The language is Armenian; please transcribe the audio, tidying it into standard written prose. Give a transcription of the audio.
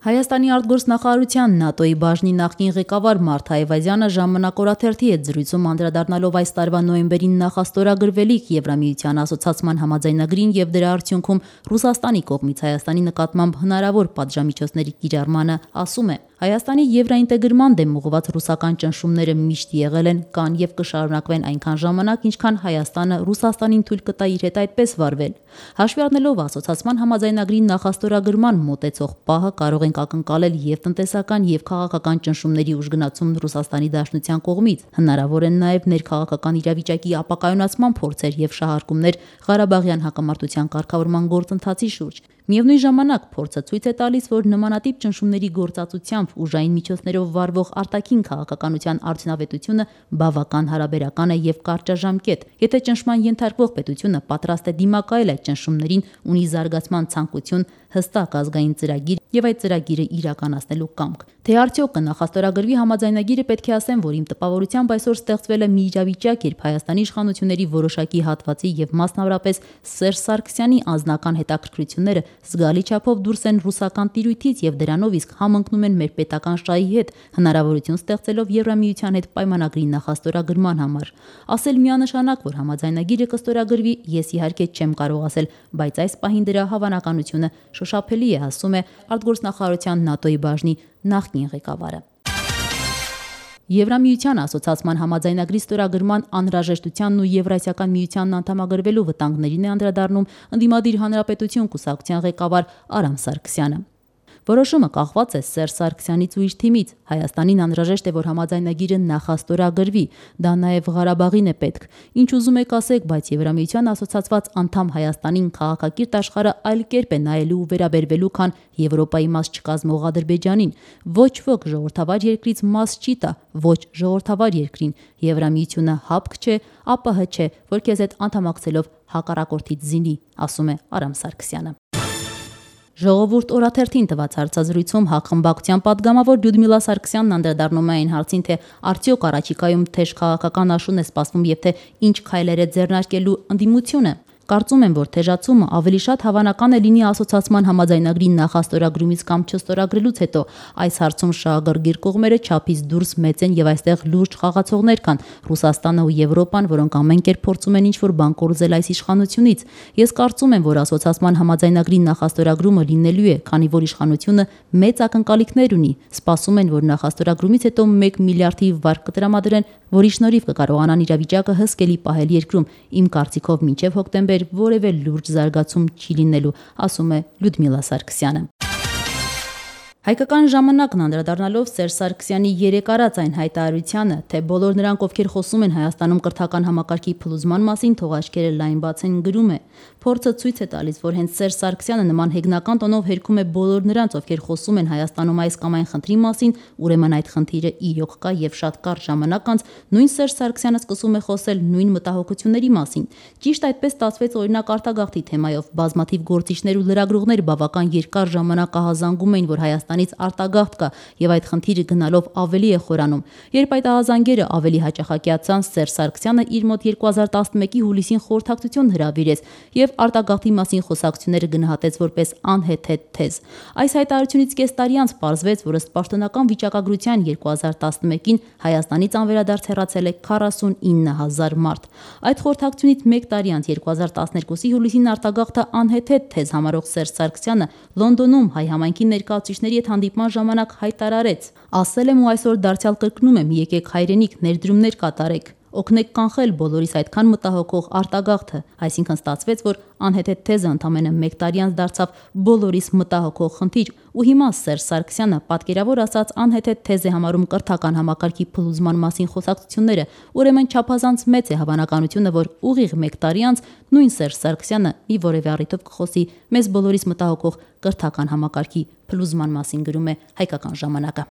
Հայաստանի արտգործնախարարության ՆԱՏՕ-ի բաժնի նախկին ղեկավար Մարթ Այվազյանը ժամանակ օրաթերթի հետ զրույցում անդրադառնալով այս տարվա նոյեմբերին նախաստորագրվելիք Եվրամիության ասոցացման համաձայնագրին եւ դրա արդյունքում Ռուսաստանի կողմից Հայաստանի նկատմամբ հնարավոր պատժամիջոցների կիրառմանը ասում է. Հայաստանի եվրաինտեգրման դեմ ուղղված ռուսական ճնշումները միշտ եղել են, կան եւ կշարունակվեն այնքան ժամանակ, ինչքան Հայաստանը Ռուսաստանին թույլ կտա իր հետ այդպես վարվել։ Հաշվի առնելով ասոցացման համաձայնագրի նախաստորագրման մոտեցող պահը կարող ենք ակնկալել եւ տնտեսական եւ քաղաքական ճնշումների ուժգնացում Ռուսաստանի Դաշնության կողմից։ Հնարավոր են նաեւ ներքաղաքական իրավիճակի ապակայունացման փորձեր եւ շահարկումներ Ղարաբաղյան հակամարտության կարգավորման գործընթացի շուրջ։ Միևնույն ժամանակ փորձը ցույց է տալիս, որ նմանատիպ ճնշումների գործածությամբ ուժային միջոցներով վարվող արտաքին քաղաքականության արդյունավետությունը բավական հարաբերական է եւ կարճաժամկետ։ Եթե ճնշման ենթարկվող պետությունը պատրաստ է դիմակայել այդ ճնշումներին, ունի զարգացման ցանկություն, հստակ ազգային ծրագիր եւ այդ ծրագիրը իրականացնելու կամք։ Թե արդյոք կնախաստորագրվի համաձայնագիրը, պետք է ասեմ, որ իմ տպավորությամբ այսօր ստեղծվել է մի իրավիճակ, երբ Հայաստանի իշխանությունների որոշակի հատվածի եւ մասնավորապես Սերժ Սարգսյանի անձնական հետաքրքրությունները զգալի չափով դուրս են ռուսական տիրույթից եւ դրանով իսկ համընկնում են մեր պետական շահի հետ, հնարավորություն ստեղծելով Եվրամիության հետ պայմանագրի նախաստորագրման համար։ Ասել միանշանակ, որ համաձայնագիրը կստորագրվի, ես իհարկե չեմ կարող ասել, բայց այս պահին դրա հավանականությունը շոշափելի է, ասում է արտգործնախարարության ՆԱՏՕ-ի բաժնի նախկին ղեկավարը։ Եվրամիության ասոցացման համաձայնագրի ստորագրման անհրաժեշտությանն ու Եվրասիական միությանն անդամագրվելու վտանգներին է անդրադառնում ընդդիմադիր հանրապետություն կուսակցության ղեկավար Արամ Սարգսյանը։ Որոշումը կախված է Սերժ Սարգսյանից ու իր թիմից։ Հայաստանին անհրաժեշտ է, որ համաձայնագիրը նախաստորագրվի, դա նաև Ղարաբաղին է պետք։ Ինչ ուզում եք ասեք, բայց Եվրամիության ասոցացված անդամ Հայաստանին քաղաքակիրթ աշխարհը այլ կերպ է նայելու ու վերաբերվելու, քան Եվրոպայի մաս չկազմող Ադրբեջանին։ Ոչ ոք ժողովրդավար երկրից մաս չի տա, ոչ ժողովրդավար երկրին։ Եվրամիությունը հապկ չէ, ԱՊՀ չէ, որ քեզ հետ անդամակցելով հակառակորդից զինի, ասում է Արամ Սարգսյանը։ Ժողովուրդ օրաթերթին տված հարցազրույցում հակխմբակցության падգամավոր Լյուդմիլա Սարգսյանն անդրադառնում է այն հարցին, թե արդյոք առաջիկայում թեժ քաղաքական աշուն է սպասվում եւ թե ինչ քայլեր է ձեռնարկելու ընդդիմությունը։ Կարծում եմ, որ թեժացումը ավելի շատ հավանական է լինի ասոցացման համաձայնագրի նախաստորագրումից կամ չստորագրելուց հետո։ Այս հարցում շահագրգիռ կողմերը չափից դուրս մեծ են եւ այստեղ լուրջ խաղացողներ կան՝ Ռուսաստանը ու Եվրոպան, որոնք ամեն կերպ փորձում են ինչ-որ բան կորզել այս իշխանությունից։ Ես կարծում եմ, որ ասոցացման համաձայնագրի նախաստորագրումը լինելու է, քանի որ իշխանությունը մեծ ակնկալիքներ ունի։ Սպասում են, որ նախաստորագրումից հետո 1 միլիարդի վարկ կտրամադրեն, որի շնորհիվ կկարողանան իրավիճակը հսկելի պահել երկրում։ Իմ կարծիքով մինչև հոկտեմբեր որևէ լուրջ զարգացում չի լինելու, ասում է Լյուդմիլա Սարգսյանը։ Հայկական ժամանակն անդրադառնալով Սերժ Սարգսյանի երեկ արած այն հայտարարությանը, թե բոլոր նրանք, ովքեր խոսում են Հայաստանում կրթական համակարգի փլուզման մասին, թող աչքերը լայն բացեն, գրում է. Փորձը ցույց է տալիս, որ հենց Սերժ Սարգսյանը նման հեգնական տոնով հերքում է բոլոր նրանց, ովքեր խոսում են Հայաստանում այս կամ այն խնդրի մասին, ուրեմն այդ խնդիրը իրոք կա եւ շատ կարճ ժամանակ անց նույն Սերժ Սարգսյանը սկսում է խոսել նույն մտահոգությունների մասին։ Ճիշտ այդպես ստացվեց օրինակ արտագաղթի թեմայով բազմաթիվ գործիչներ ու լրագրողներ բավական երկար ժամանակ ահազանգում էին, որ Հայաստանից արտագաղթ կա եւ այդ խնդիրը գնալով ավելի է խորանում։ Երբ այդ ահազանգերը ավելի հաճախակիացան, Սերժ Սարգսյանը իր մոտ 2011-ի հուլիսին խորհրդակցություն հրավիրեց եւ արտագաղթի մասին խոսակցությունները գնահատեց որպես անհեթեթ թեզ։ Այս հայտարարությունից կես տարի անց պարզվեց, որ ըստ պաշտոնական վիճակագրության 2011-ին Հայաստանից անվերադարձ հեռացել է 49,000 մարդ։ Այդ խորհրդակցությունից 1 տարի անց 2012-ի հուլիսին արտագաղթը անհեթեթ թեզ համարող Սերժ Սարգսյանը Լոնդոնում հայ համայնքի ներկայացուցիչների հետ հանդիպման ժամանակ հայտարարեց. ասել եմ ու այսօր դարձյալ կրկնում եմ, եկեք հայրենիք, ներդրումներ կատարեք, օգնեք կանխել բոլորիս այդքան մտահոգող արտագաղթը։ Այսինքն ստացվեց, որ անհեթեթ թեզը ընդամենը 1 տարի անց դարձավ բոլորիս մտահոգող խնդիր։ Ու հիմա Սերժ Սարգսյանը պատկերավոր ասած անհեթեթ թեզ է համարում կրթական համակարգի փլուզման մասին խոսակցությունները։ Ուրեմն չափազանց մեծ է հավանականությունը, որ ուղիղ 1 տարի անց նույն Սերժ Սարգսյանը մի որևէ առիթով կխոսի մեզ բոլորիս մտահոգող կրթական համակարգի փլուզման մասին, գրում է Հայկական ժամանակը։